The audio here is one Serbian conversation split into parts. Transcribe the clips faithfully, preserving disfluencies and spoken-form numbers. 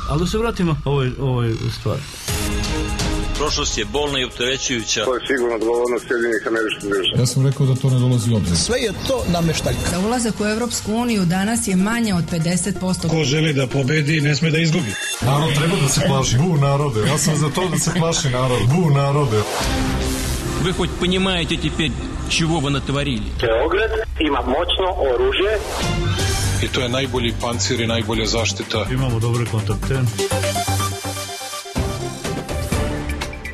Ali da se vratimo ovoj, ovoj stvari. Prošlost je bolna i opterećujuća. To je sigurno odgovornost Sjedinjenih Američkih Država. Ja sam rekao da to ne dolazi u obzir. Sve je to nameštaljka. Za ulazak u Evropsku uniju danas je manje od pedeset posto. Ko želi da pobedi, ne sme da izgubi. Narod treba da se plaši. Bu narode. Ja sam za to da se plaši narod. Bu narode. Вы хоть понимаете теперь, чего вы натворили? Beograd ima moćno oružje. I to je najbolji pancir i najbolja zaštita. Imamo dobre kontakte.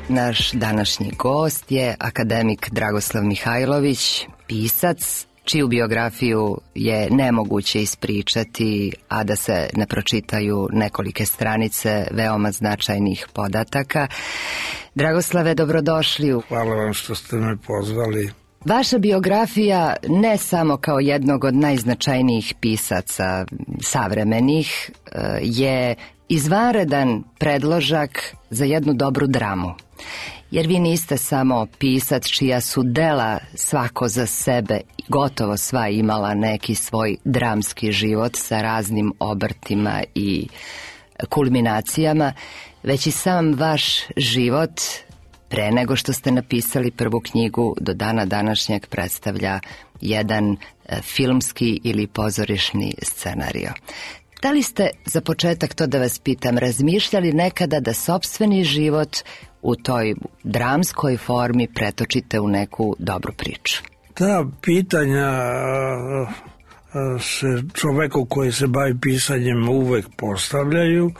Naš današnji gost je akademik Dragoslav Mihajlović, pisac, čiju biografiju je nemoguće ispričati, a da se ne pročitaju nekolike stranice veoma značajnih podataka. Dragoslave, dobrodošli. Hvala vam što ste me pozvali. Vaša biografija, ne samo kao jednog od najznačajnijih pisaca savremenih, je izvanredan predložak za jednu dobru dramu. Jer vi niste samo pisac čija su dela svako za sebe, gotovo sva imala neki svoj dramski život sa raznim obrtima i kulminacijama, već i sam vaš život, pre nego što ste napisali prvu knjigu, do dana današnjeg predstavlja jedan filmski ili pozorišni scenario. Da li ste, za početak to da vas pitam, razmišljali nekada da sopstveni život u toj dramskoj formi pretočite u neku dobru priču? Ta pitanja se čoveku koji se bavi pisanjem uvek postavljaju.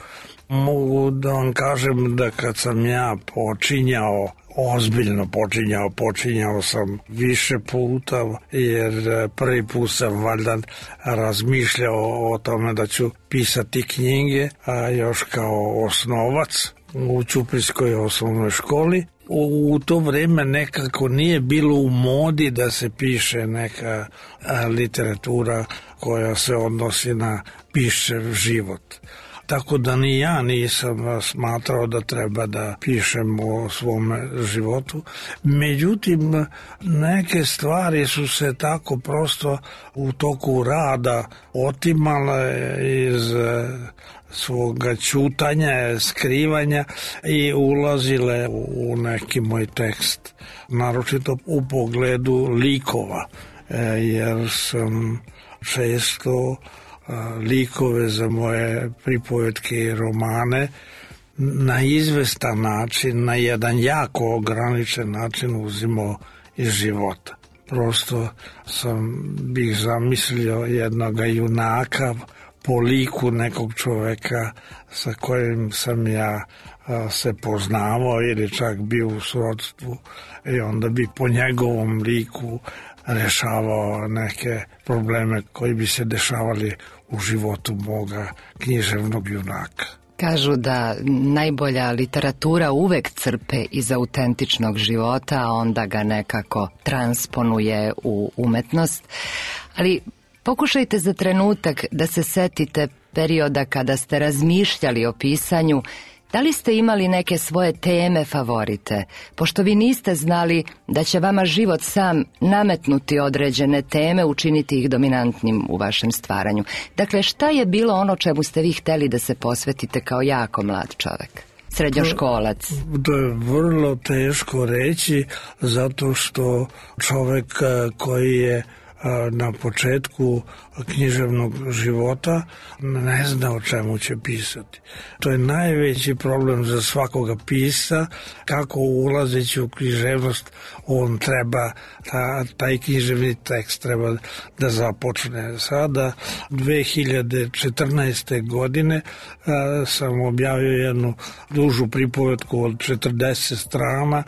Mogu da vam kažem da kad sam ja počinjao, ozbiljno počinjao, počinjao sam više puta, jer prvi put sam valjda razmišljao o tome da ću pisati knjige, a još kao osnovac u Ćuprijskoj osnovnoj školi. U, u to vreme nekako nije bilo u modi da se piše neka a, literatura koja se odnosi na pišev život. Tako da ni ja nisam smatrao da treba da pišem o svom životu. Međutim, neke stvari su se tako prosto u toku rada otimale iz svoga ćutanja, skrivanja i ulazile u neki moj tekst. Naročito u pogledu likova, jer sam često likove za moje pripovetke i romane na izvestan način, na jedan jako ograničen način uzimao iz života. Prosto sam bih zamislio jednog junaka po liku nekog čoveka sa kojim sam ja se poznavao ili čak bio u srodstvu i onda bi po njegovom liku rešavao neke probleme koji bi se dešavali u životu moga književnog junaka. Kažu da najbolja literatura uvek crpe iz autentičnog života, a onda ga nekako transponuje u umetnost. Ali pokušajte za trenutak da se setite perioda kada ste razmišljali o pisanju. Da li ste imali neke svoje teme favorite, pošto vi niste znali da će vama život sam nametnuti određene teme, učiniti ih dominantnim u vašem stvaranju? Dakle, šta je bilo ono čemu ste vi hteli da se posvetite kao jako mlad čovek, srednjoškolac? To je vrlo teško reći, zato što čovek koji je na početku književnog života ne zna o čemu će pisati. To je najveći problem za svakoga pisca, kako ulazeći u književnost on treba, ta, taj književni tekst treba da započne. Sada, dve hiljade četrnaeste. godine, a, sam objavio jednu dužu pripovetku od četrdeset strana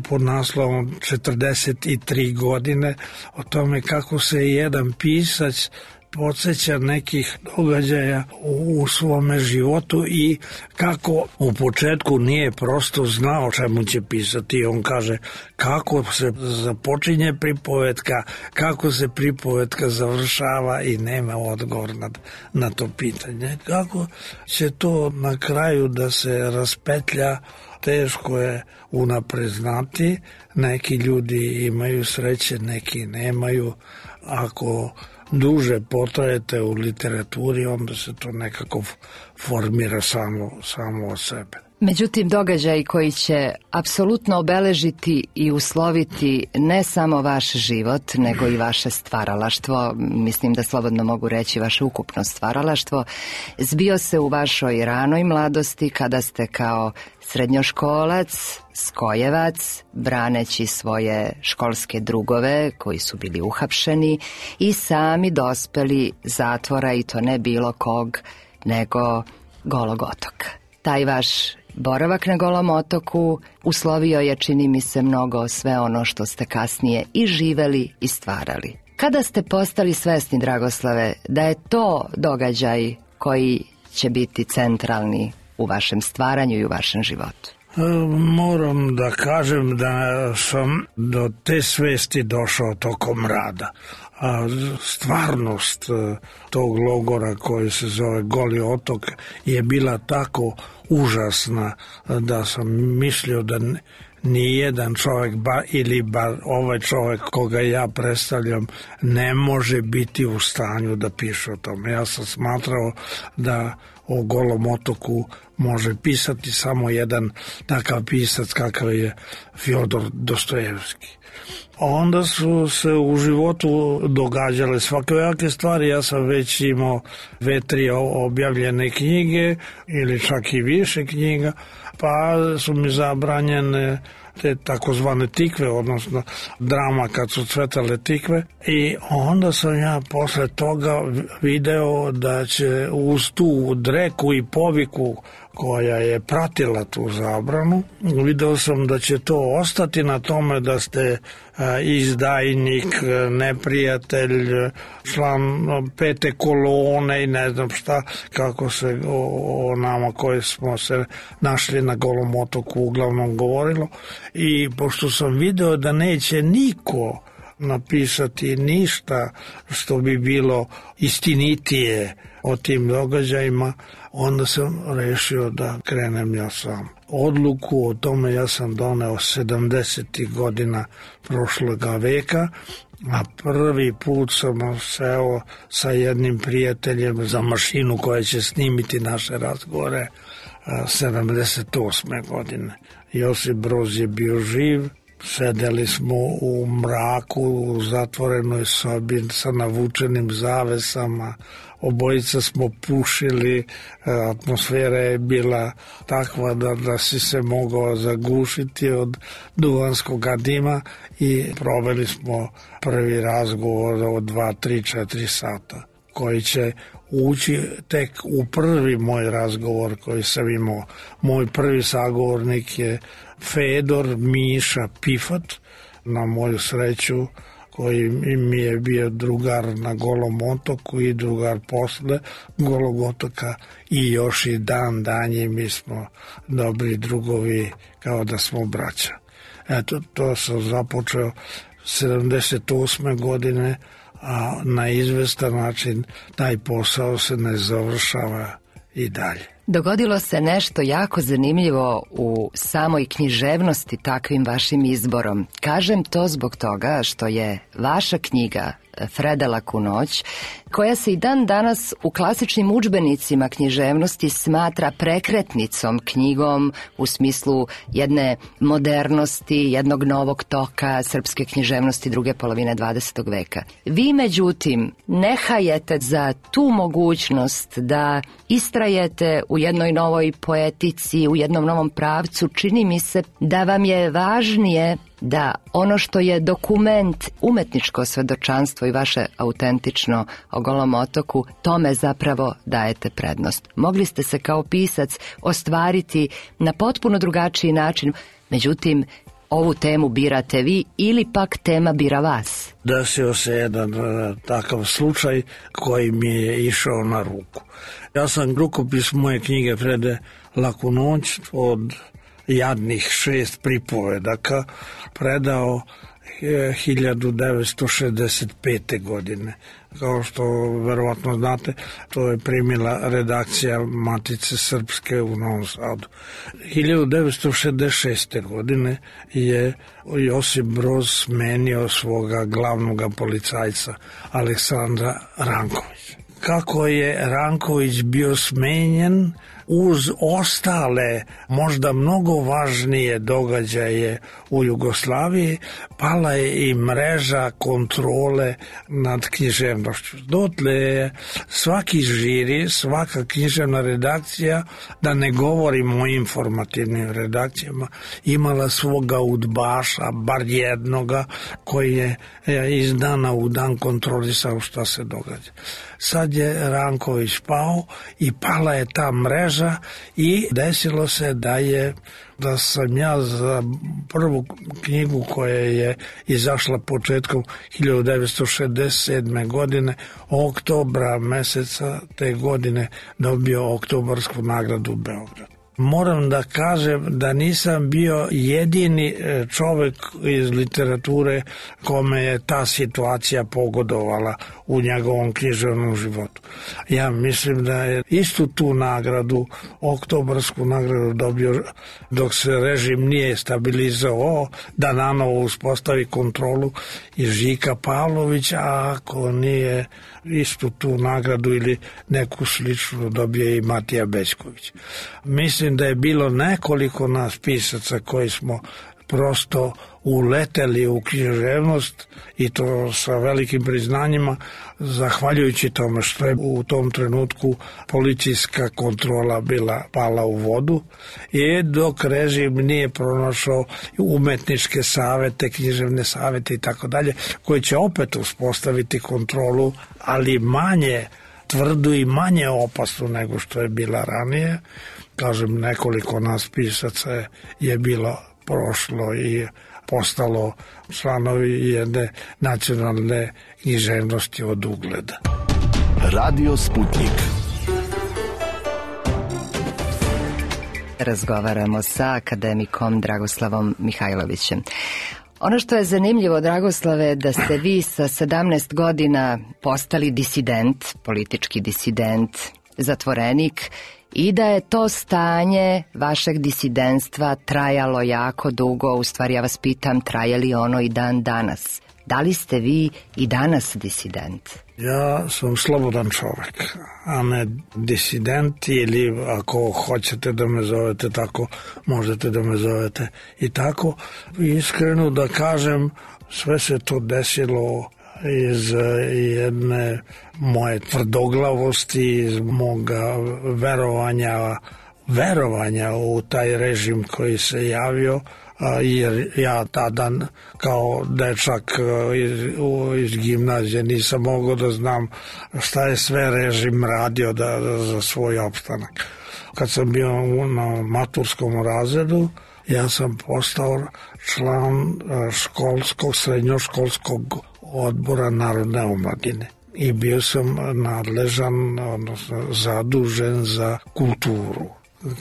pod naslovom četrdeset tri godine, o tome kako se jedan pisac podsjeća nekih događaja u svome životu i kako u početku nije prosto znao čemu će pisati. On kaže kako se započinje pripovetka, kako se pripovetka završava i nema odgovor na, na to pitanje. Kako će to na kraju da se raspetlja, teško je unapred znati. Neki ljudi imaju sreće, neki nemaju. Ako duže potrajete u literaturi, onda se to nekako formira samo, samo od sebe. Međutim, događaj koji će apsolutno obeležiti i usloviti ne samo vaš život, nego i vaše stvaralaštvo, mislim da slobodno mogu reći vaše ukupno stvaralaštvo, zbio se u vašoj ranoj mladosti kada ste kao srednjoškolac, skojevac, braneći svoje školske drugove koji su bili uhapšeni i sami dospeli zatvora, i to ne bilo kog, nego Golog otoka. Taj vaš boravak na Golom otoku uslovio je, čini mi se, mnogo sve ono što ste kasnije i živeli i stvarali. Kada ste postali svesni, Dragoslave, da je to događaj koji će biti centralni u vašem stvaranju i u vašem životu? Moram da kažem da sam do te svesti došao tokom rada. A stvarnost tog logora koji se zove Goli otok je bila tako užasna da sam mislio da nijedan čovjek, ba, ili bar ovaj čovjek koga ja predstavljam, ne može biti u stanju da piše o tome. Ja sam smatrao da o Golom otoku može pisati samo jedan takav pisac kakav je Fjodor Dostojevski. Onda su se u životu događale svakojake stvari. Ja sam već imao dve, tri objavljene knjige ili čak i više knjiga, pa su mi zabranjene te takozvane tikve, odnosno drama kad su cvetale tikve, i onda sam ja posle toga video da će uz tu dreku i poviku koja je pratila tu zabranu, video sam da će to ostati na tome da ste izdajnik, neprijatelj, član pete kolone i ne znam šta, kako se o, o nama koji smo se našli na Golom otoku uglavnom govorilo. I pošto sam video da neće niko napisati ništa što bi bilo istinitije o tim događajima, onda sam rešio da krenem ja sam. Odluku o tome ja sam doneo sedamdesetih godina prošloga veka, a prvi put sam seo sa jednim prijateljem za mašinu koja će snimiti naše razgovore sedamdeset osme godine. Josip Broz je bio živ, sedeli smo u mraku, u zatvorenoj sobi sa navučenim zavesama, obojica smo pušili, atmosfera je bila takva da, da si se mogao zagušiti od duvanskog dima i proveli smo prvi razgovor od dva, tri, četiri sata, koji će ući tek u prvi moj razgovor koji sam imao. Moj prvi sagovornik je Fedor Miša Pifat, na moju sreću, koji mi je bio drugar na Golom otoku i drugar posle Golog otoka, i još i dan danje mi smo dobri drugovi, kao da smo braća. Eto, to sam započeo sedamdeset osme godine, a na izvestan način taj posao se ne završava i dalje. Dogodilo se nešto jako zanimljivo u samoj književnosti takvim vašim izborom. Kažem to zbog toga što je vaša knjiga Freda Laku noć, koja se i dan danas u klasičnim udžbenicima književnosti smatra prekretnicom, knjigom u smislu jedne modernosti, jednog novog toka srpske književnosti druge polovine dvadesetog veka. Vi, međutim, ne hajete za tu mogućnost da istrajete u jednoj novoj poetici, u jednom novom pravcu. Čini mi se da vam je važnije da ono što je dokument, umetničko svedočanstvo i vaše autentično o Golom otoku, tome zapravo dajete prednost. Mogli ste se kao pisac ostvariti na potpuno drugačiji način, međutim, ovu temu birate vi ili pak tema bira vas. Desio se jedan uh, takav slučaj koji mi je išao na ruku. Ja sam rukopis moje knjige Frede Laku noć od jadnih šest pripovedaka predao hiljadu devetsto šezdeset pete. godine. Kao što verovatno znate, to je primila redakcija Matice Srpske u Novom Sadu. hiljadu devetsto šezdeset šeste. godine je Josip Broz smenio svoga glavnog policajca Aleksandra Rankovića. Kako je Ranković bio smenjen, uz ostale, možda mnogo važnije događaje u Jugoslaviji, pala je i mreža kontrole nad književnošću. Dotle je svaki žiri, svaka književna redakcija, da ne govorimo o informativnim redakcijama, imala svoga udbaša, bar jednoga, koji je iz dana u dan kontrolisao šta se događa. Sad je Ranković pao i pala je ta mreža i desilo se da je da sam ja za prvu knjigu koja je izašla početkom hiljadu devetsto šezdeset sedme. godine, oktobra meseca te godine dobio Oktobarsku nagradu u Beogradu. Moram da kažem da nisam bio jedini čovek iz literature kome je ta situacija pogodovala u njegovom književnom životu. Ja mislim da je istu tu nagradu, Oktobarsku nagradu, dobio dok se režim nije stabilizovao, da nanovo uspostavi kontrolu i Žika Pavlović, a ako nije istu tu nagradu ili neku sličnu dobije i Matija Bećković. Mislim da je bilo nekoliko nas pisaca koji smo prosto uleteli u književnost i to sa velikim priznanjima, zahvaljujući tome što je u tom trenutku policijska kontrola bila pala u vodu i dok režim nije pronašao umetničke savete, književne savete i tako dalje, koji će opet uspostaviti kontrolu, ali manje tvrdu i manje opasnu nego što je bila ranije. Kažem, nekoliko nas pisaca je bilo prošlo i postalo članovi jedne nacionalne književnosti od ugleda. Radio Sputnik. Razgovaramo sa akademikom Dragoslavom Mihajlovićem. Ono što je zanimljivo, Dragoslave, da ste vi sa sedamnaest godina postali disident, politički disident, zatvorenik, i da je to stanje vašeg disidentstva trajalo jako dugo. U stvari, ja vas pitam, traje li ono i dan danas? Da li ste vi i danas disident? Ja sam slobodan čovek, a ne disident, ili ako hoćete da me zovete tako, možete da me zovete i tako. Iskreno da kažem, sve se to desilo iz jedne moje tvrdoglavosti, iz moga verovanja, verovanja u taj režim koji se javio, jer ja tada kao dečak iz, iz gimnazije nisam mogao da znam šta je sve režim radio da, da, za svoj opstanak. Kad sam bio na maturskom razredu, ja sam postao član školskog, srednjoškolskog odbora Narodne omladine i bio sam nadležan, odnosno zadužen za kulturu.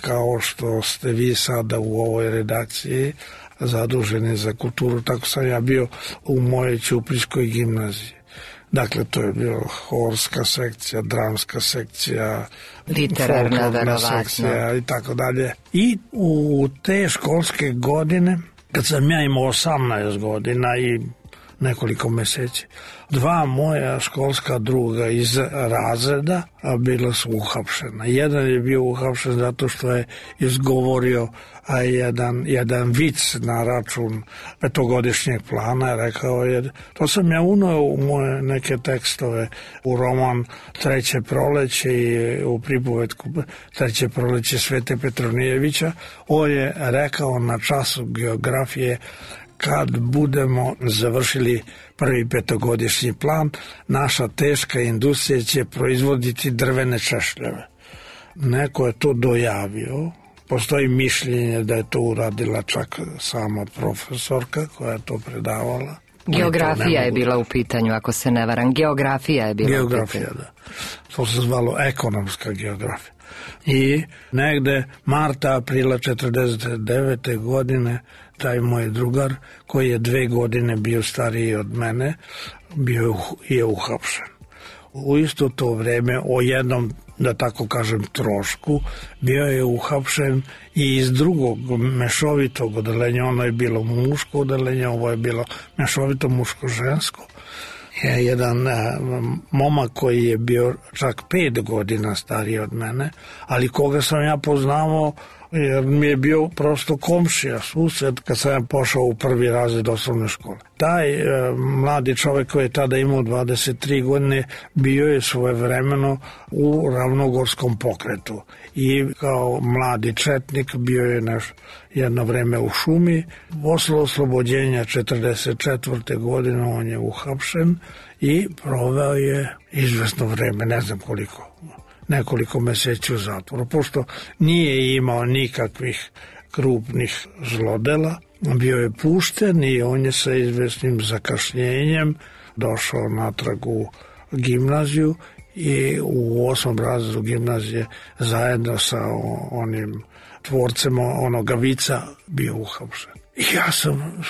Kao što ste vi sada u ovoj redakciji zaduženi za kulturu, tako sam ja bio u mojoj Ćupriškoj gimnaziji. Dakle, to je bio horska sekcija, dramska sekcija, literarna, sekcija i tako dalje. I u te školske godine, kad sam ja imao osamnaest godina i nekoliko meseci, dva moja školska druga iz razreda bila su uhapšena. Jedan je bio uhapšen zato što je izgovorio a jedan, jedan vic na račun petogodišnjeg plana. Rekao je, to sam ja uneo u moje neke tekstove, u roman Treće proleće i u pripovetku Treće proleće Svete Petronijevića. On je rekao na času geografije, kad budemo završili prvi petogodišnji plan, naša teška industrija će proizvoditi drvene češljeve. Neko je to dojavio. Postoji mišljenje da je to uradila čak sama profesorka koja je to predavala. Geografija je bila u pitanju, ako se ne varam. Geografija je bila Geografija, u pitanju. da. To se zvalo ekonomska geografija. I negde marta, aprila četrdeset devete. godine taj moj drugar, koji je dve godine bio stariji od mene, bio je uhapšen. U isto to vreme, o jednom, da tako kažem, trošku, bio je uhapšen i iz drugog mešovitog odeljenja, ono je bilo muško odeljenje, ovo je bilo mešovito muško-žensko. Je jedan a, momak koji je bio čak pet godina stariji od mene, ali koga sam ja poznavao jer mi je bio prosto komšija, sused, kad sam ja pošao u prvi razred osnovne škole. Taj e, mladi čovek koji je tada imao dvadeset tri godine bio je svojevremeno u ravnogorskom pokretu i kao mladi četnik bio je naš jedno vreme u šumi. Posle oslobođenja četrdeset četvrte. godine on je uhapšen i proveo je izvesno vreme, ne znam koliko, nekoliko meseci u zatvoru, pošto nije imao nikakvih krupnih zlodela. Bio je pušten i on je sa izvesnim zakašnjenjem došao natrag u gimnaziju i u osmom razredu gimnazije zajedno sa onim tvorcem onoga vica bio uhapšen. I ja sam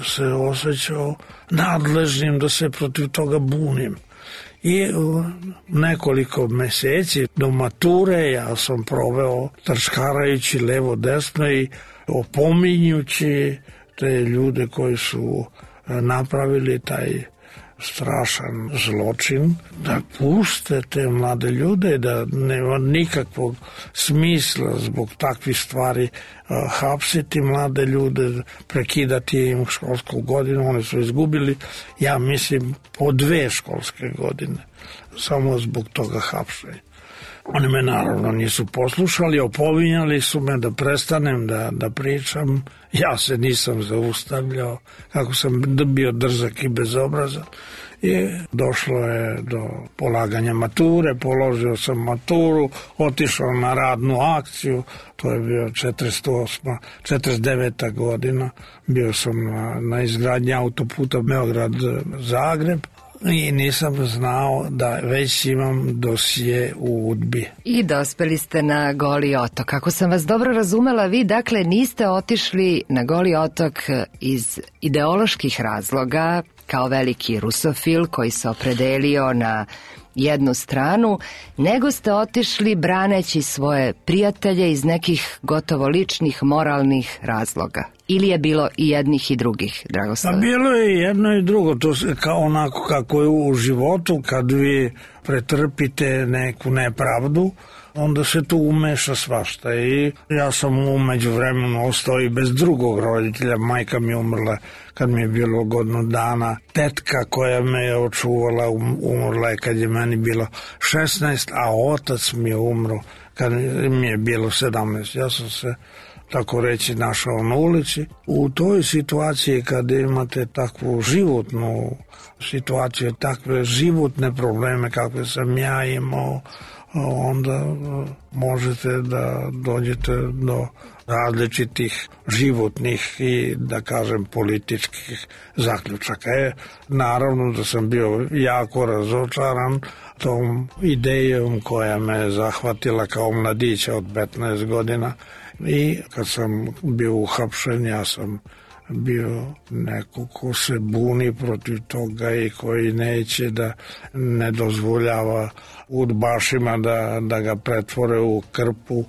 se osjećao nadležnim da se protiv toga bunim. I nekoliko meseci do mature ja sam proveo trčkarajući levo desno i opominjući te ljude koji su napravili taj strašan zločin, da puste te mlade ljude, da nema nikakvog smisla zbog takvih stvari hapsiti mlade ljude, prekidati im školsku godinu. Oni su izgubili, ja mislim, po dve školske godine samo zbog toga hapšenja. Oni me naravno nisu poslušali, opominjali su me da prestanem da, da pričam. Ja se nisam zaustavljao, kako sam bio drzak i bezobrazan. I došlo je do polaganja mature, položio sam maturu, otišao na radnu akciju, to je bio četrdeset osma. četrdeset deveta. godina, bio sam na, na izgradnji autoputa Beograd-Zagreb. I nisam znao da već imam dosije u UDBI. I dospeli ste na Goli otok. Ako sam vas dobro razumela, vi dakle niste otišli na Goli otok iz ideoloških razloga, kao veliki rusofil koji se opredelio na jednu stranu, nego ste otišli braneći svoje prijatelje iz nekih gotovo ličnih moralnih razloga. Ili je bilo i jednih i drugih, Dragoslave? Pa bilo je jedno i drugo, to se kao onako kako je u životu, kad vi pretrpite neku nepravdu, onda se tu umeša svašta. I ja sam umeđu vremenu ostao i bez drugog roditelja. Majka mi je umrla kad mi je bilo godinu dana. Tetka koja me je očuvala umrla je kad je meni bilo šesnaest, a otac mi je umro kad mi je bilo sedamnaest. Ja sam se, tako reći, našao na ulici. U toj situaciji kad imate takvu životnu situaciju, takve životne probleme kakve sam ja imao, onda možete da dođete do različitih životnih i, da kažem, političkih zaključaka. E, naravno da sam bio jako razočaran tom idejom koja me zahvatila kao mladića od petnaest godina. I kad sam bio uhapšen, ja sam bio neko ko se buni protiv toga i koji neće da ne dozvoljava udbašima da, da ga pretvore u krpu.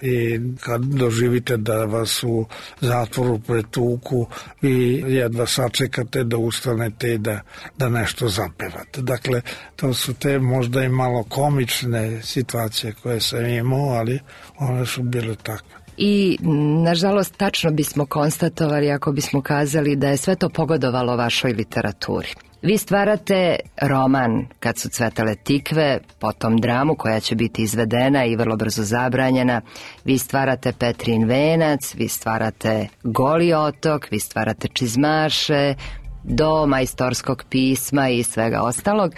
I kad doživite da vas u zatvoru pretuku, vi jedva sačekate da ustanete i da, da nešto zapevate. Dakle, to su te možda i malo komične situacije koje sam imao, ali one su bile takve. I, nažalost, tačno bismo konstatovali ako bismo kazali da je sve to pogodovalo vašoj literaturi. Vi stvarate roman Kad su cvetale tikve, potom dramu koja će biti izvedena i vrlo brzo zabranjena. Vi stvarate Petrin venac, vi stvarate Goli otok, vi stvarate Čizmaše, do majstorskog pisma i svega ostalog.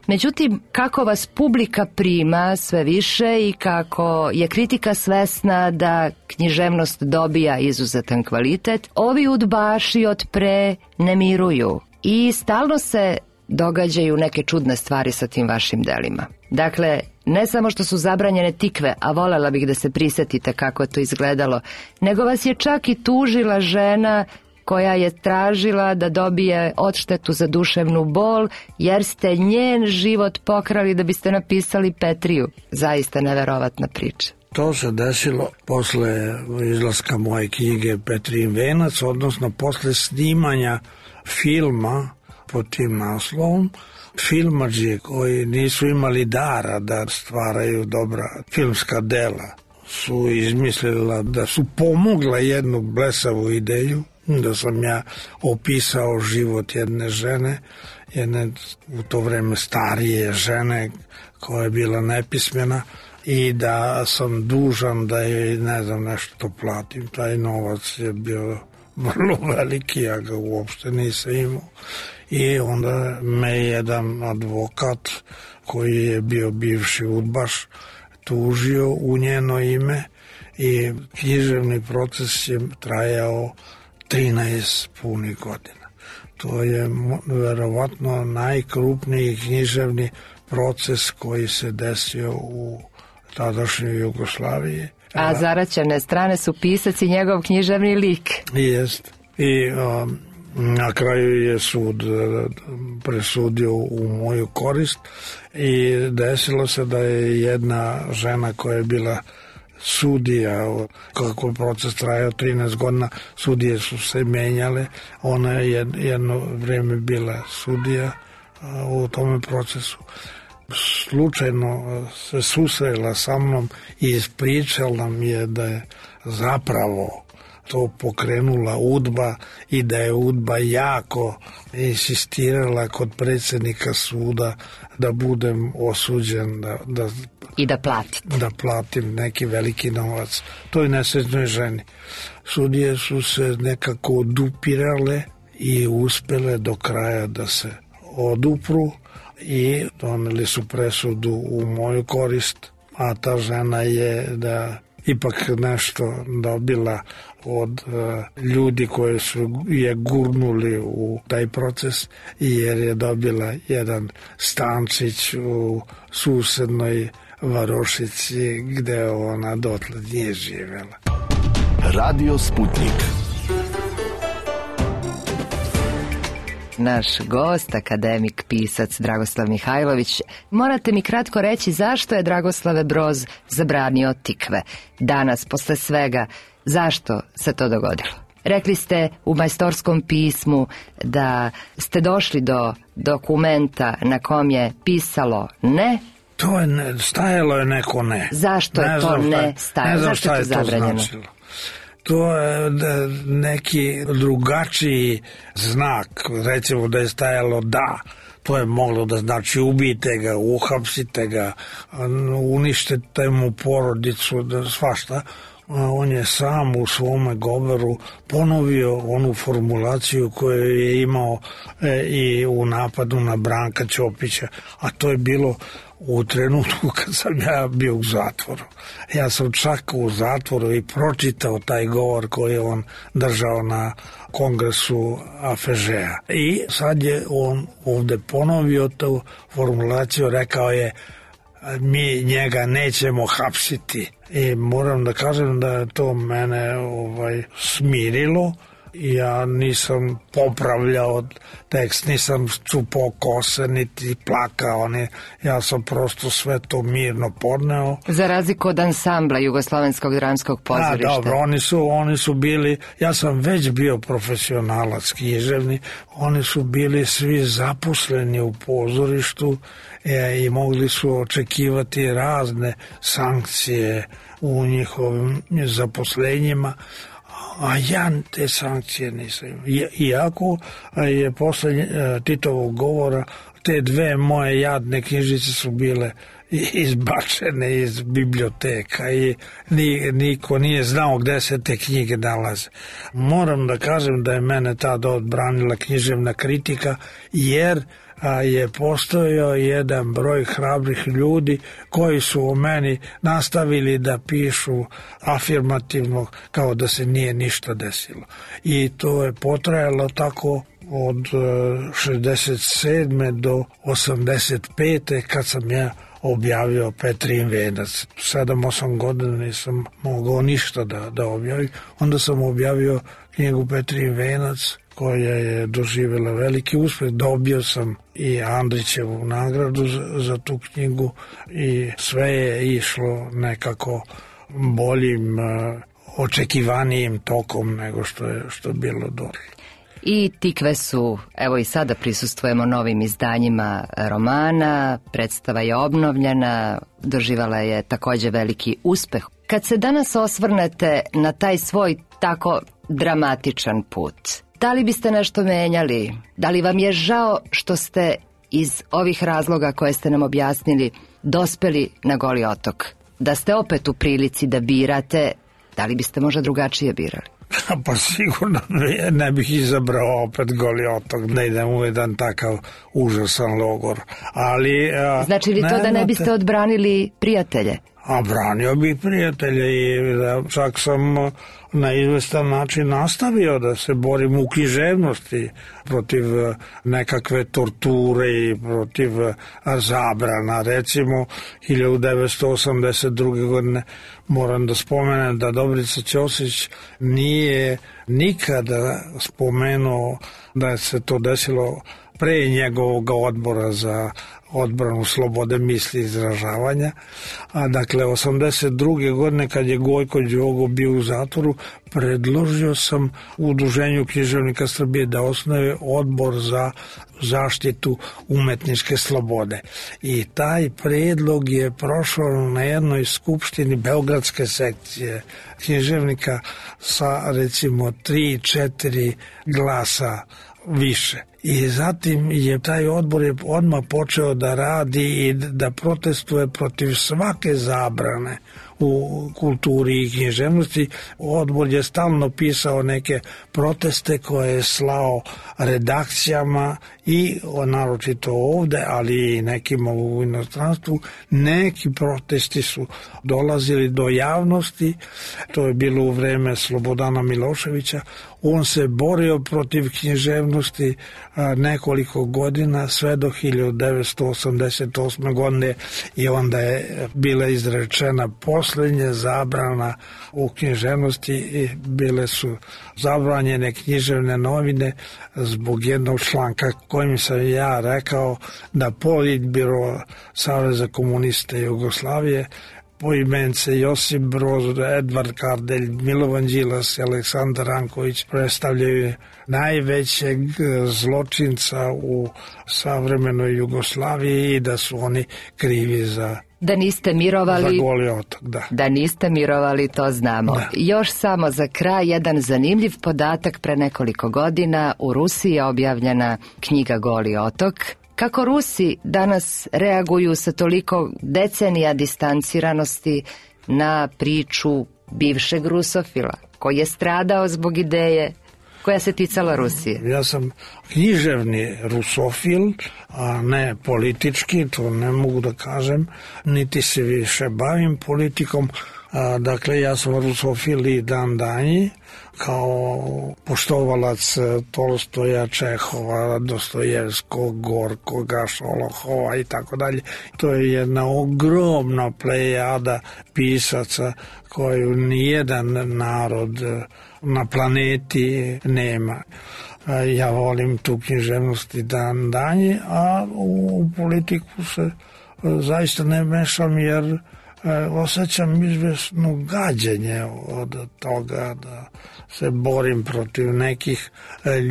Međutim, kako vas publika prima sve više i kako je kritika svesna da književnost dobija izuzetan kvalitet, ovi udbaši od pre ne miruju i stalno se događaju neke čudne stvari sa tim vašim delima. Dakle, ne samo što su zabranjene tikve, a volela bih da se prisetite kako je to izgledalo, nego vas je čak i tužila žena koja je tražila da dobije odštetu za duševnu bol, jer ste njen život pokrali da biste napisali Petriju. Zaista neverovatna priča. To se desilo posle izlaska moje knjige Petrijin venac, odnosno posle snimanja filma pod tim naslovom. Filmadži koji nisu imali dara da stvaraju dobra filmska dela su izmislila da su pomogla jednu blesavu ideju, da sam ja opisao život jedne žene, jedne u to vreme starije žene koja je bila nepismena i da sam dužan da joj, ne znam, nešto platim. Taj novac je bio vrlo veliki, ja ga uopšte nisam imao. I onda me jedan advokat koji je bio bivši udbaš tužio u njeno ime i književni proces je trajao trinaest punih godina. To je verovatno najkrupniji književni proces koji se desio u tadašnjoj Jugoslaviji. A zaraćene strane su pisac i njegov književni lik. Jest. I um, na kraju je sud presudio u moju korist i desilo se da je jedna žena koja je bila sudija, kako je proces trajao trinaest godina, sudije su se menjale, ona je jedno vreme bila sudija u tome procesu. Slučajno se susrela sa mnom i ispričala nam je da je zapravo to pokrenula UDBA i da je UDBA jako insistirala kod predsjednika suda da budem osuđen da, da, i da platim. da platim neki veliki novac toj nesrećnoj ženi. Sudije su se nekako odupirale i uspele do kraja da se odupru i doneli su presudu u moju korist, a ta žena je da ipak nešto dobila od uh, ljudi koji su je gurnuli u taj proces, jer je dobila jedan stančić u susednoj varošici gde ona dotle nije živjela. Radio Sputnik. Naš gost, akademik, pisac Dragoslav Mihajlović. Morate mi kratko reći zašto je Dragoslave Broz zabranio tikve. Danas, posle svega, zašto se to dogodilo? Rekli ste u majstorskom pismu da ste došli do dokumenta na kom je pisalo ne. To je ne, stajalo je neko ne. Zašto je ne to ne stajalo? Ne znam zašto šta je je to to zabranjeno? značilo. To je neki drugačiji znak, recimo da je stajalo da, to je moglo da znači ubijte ga, uhapsite ga, uništite mu porodicu, da svašta. On je sam u svome govoru ponovio onu formulaciju koju je imao i u napadu na Branka Ćopića, a to je bilo u trenutku kad sam ja bio u zatvoru. Ja sam čak u zatvoru i pročitao taj govor koji je on držao na kongresu A F Ž-a. I sad je on ovde ponovio tu formulaciju, rekao je mi njega nećemo hapsiti. I moram da kažem da je to mene ovaj, smirilo. Ja nisam popravljao tekst, nisam čupao kose, niti plakao, ne. Ja sam prosto sve to mirno podneo. Za razliku od ansambla Jugoslovenskog dramskog pozorišta. Da, dobro, oni su, oni su bili, ja sam već bio profesionalac književni, oni su bili svi zaposleni u pozorištu e, i mogli su očekivati razne sankcije u njihovim zaposlenjima, a ja te sankcije nisam. Iako je posle Titovog govora te dve moje jadne knjižice su bile izbačene iz biblioteka i niko nije znao gde se te knjige nalaze. Moram da kažem da je mene tada odbranila književna kritika, jer a je postojao jedan broj hrabrih ljudi koji su o meni nastavili da pišu afirmativno kao da se nije ništa desilo. I to je potrajalo tako od šezdeset sedme do osamdeset pete kad sam ja objavio Petrin venac. sedam osam godina nisam mogao ništa da, da objavim. Onda sam objavio knjigu Petrin venac koja je doživjela veliki uspjeh. Dobio sam i Andrićevu nagradu za, za tu knjigu i sve je išlo nekako boljim, očekivanijim tokom nego što je, što je bilo dole. I tikve su, evo i sada prisustvujemo novim izdanjima romana, predstava je obnovljena, doživala je takođe veliki uspeh. Kad se danas osvrnete na taj svoj tako dramatičan put, da li biste nešto menjali? Da li vam je žao što ste iz ovih razloga koje ste nam objasnili dospeli na Goli otok? Da ste opet u prilici da birate, da li biste možda drugačije birali? Pa sigurno ne bih izabrao opet Goli otok, ne idem u jedan takav užasan logor. Ali, znači li to da ne biste odbranili prijatelje? A branio bih prijatelje i da čak sam na izvestan način nastavio da se borim u književnosti protiv nekakve torture i protiv zabrana. Recimo, hiljadu devetsto osamdeset druge. godine moram da spomenem da Dobrica Ćosić nije nikada spomenuo da se to desilo pre njegovog odbora za odbranu slobode misli i izražavanja. A dakle, osamdeset druge. godine kad je Gojko Đogo bio u zatvoru, predložio sam u Udruženju književnika Srbije da osnuje odbor za zaštitu umetničke slobode. I taj predlog je prošao na jednoj skupštini Beogradske sekcije književnika sa recimo tri četiri glasa više. I zatim je taj odbor je odmah počeo da radi i da protestuje protiv svake zabrane u kulturi i književnosti. Odbor je stalno pisao neke proteste koje je slao redakcijama i naročito ovde, ali i nekima u inostranstvu. Neki protesti su dolazili do javnosti, to je bilo u vreme Slobodana Miloševića. On se borio protiv književnosti nekoliko godina, sve do hiljadu devetsto osamdeset osme. godine i onda je bila izrečena poslednja zabrana u književnosti i bile su zabranjene književne novine zbog jednog članka kojim sam ja rekao da Politbiro Saveza komunista Jugoslavije poimence Josip Broz, Edvard Kardelj, Milovan Đilas i Aleksandar Ranković predstavljaju najvećeg zločinca u savremenoj Jugoslaviji i da su oni krivi za Da niste mirovali, za Goli otok, da. Da niste mirovali, to znamo. Da. Još samo za kraj jedan zanimljiv podatak. Pre nekoliko godina u Rusiji je objavljena knjiga Goli otok. Kako Rusi danas reaguju sa toliko decenija distanciranosti na priču bivšeg rusofila koji je stradao zbog ideje koja se ticala Rusije? Ja sam književni rusofil, a ne politički, to ne mogu da kažem, niti se više bavim politikom. A, dakle, ja sam rusofil i dan danji, kao poštovalac Tolstoja, Čehova, Dostojevskog, Gorkoga, Šolohova i tako dalje. To je jedna ogromna plejada pisaca koju nijedan narod na planeti nema. Ja volim tu književnost i dan danje, a u politiku se zaista ne mešam jer osjećam izvesno gađenje od toga da se borim protiv nekih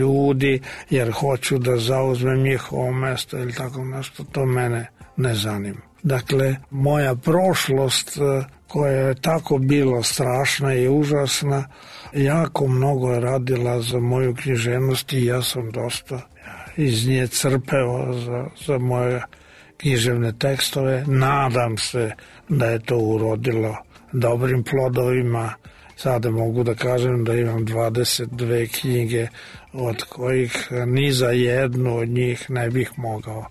ljudi jer hoću da zauzmem njihovo mesto ili tako nešto, to mene ne zanima. Dakle, moja prošlost koja je tako bila strašna i užasna, jako mnogo je radila za moju književnost i ja sam dosta iz nje crpeo za, za moje književne tekstove. Nadam se da je to urodilo dobrim plodovima. Sada mogu da kažem da imam dvadeset dve knjige, od kojih ni za jednu od njih ne bih mogao,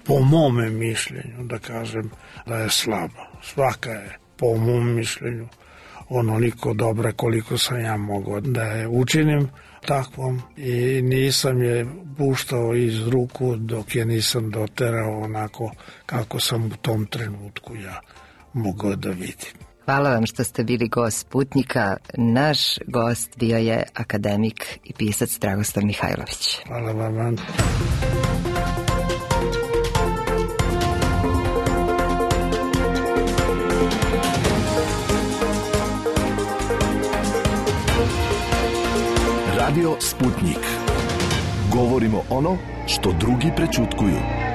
po mome mišljenju, da kažem da je slaba. Svaka je, po mom mišljenju, onoliko dobra koliko sam ja mogao da je učinim takvom i nisam je puštao iz ruku dok je nisam doterao onako kako sam u tom trenutku ja mogao da vidim. Hvala vam što ste bili gost Sputnika. Naš gost bio je akademik i pisac Dragoslav Mihajlović. Hvala vam. Radio Sputnik. Govorimo ono što drugi prećutkuju.